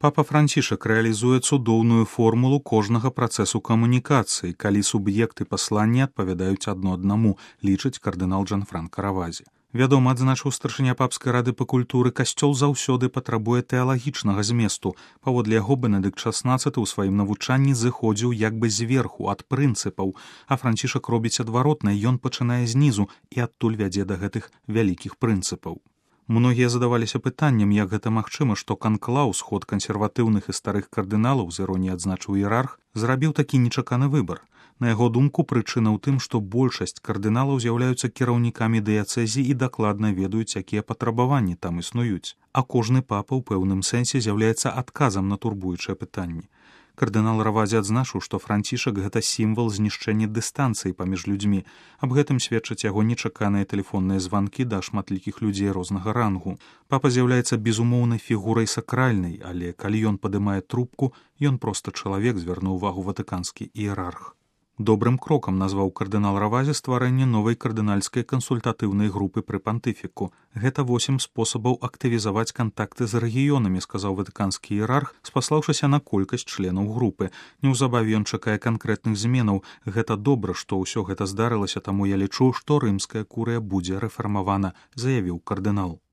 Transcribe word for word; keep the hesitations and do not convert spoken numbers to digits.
Папа Францішак рэалізуе цудоўную формулу кожнага працэсу камунікацыі, калі суб'екты паслання адпавядаюць адно аднаму, лічыць кардынал Джанфранка Равазі. Вядома, адзначыў старшыня папскай рады па культуры, касцёл заўсёды патрабуе тэалагічнага зместу. Паводле яго Бенедыкт шаснаццаты ў сваім навучанні зыходзіў як бы зверху, ад прынцыпаў, а Францішак робіць адваротна, ён пачынае знізу і адтуль вядзе да гэтых вялікіх прынцыпаў. Многія задаваліся пытаннем, як гэта магчыма, што канклаў, сход кансерватыўных і старых кардыналаў, з іроніяй адзначыў іерарх, зрабіў такі нечаканы выбар. На яго думку, прычына ў тым, што большасць кардыналаў з'яўляюцца кіраўнікамі дыяцэзій і дакладна ведаюць, якія патрабаванні там існуюць. А кожны папа ў пэўным сэнсе з'яўляецца адказам на турбуючыя пытанні. Кардынал Равазі адзначыў, што Францішак – гэта сімвал знішчэння дыстанцыі паміж людзьмі. Аб гэтым сведчаць яго нечаканыя тэлефонныя званкі да шматлікіх людзей рознага рангу. Папа з'яўляецца безумоўнай фігурай сакральнай, але калі ён падымае трубку, ён проста чалавек, звярнуў увагу ватыканскі іерарх. Добрым крокам назваў кардынал Равазі стварэнне новай кардынальскай кансультатыўнай групы пры пантыфіку. Гэта восем спосабаў актывізаваць кантакты з рэгіёнамі, сказаў ватыканскі іерарх, спаслаўшыся на колькасць членаў групы. Неўзабаве ён чакае канкрэтных зменаў. Гэта добра, што ўсё гэта здарылася, таму я лічу, што рымская курыя будзе рэфармавана, заявіў кардынал.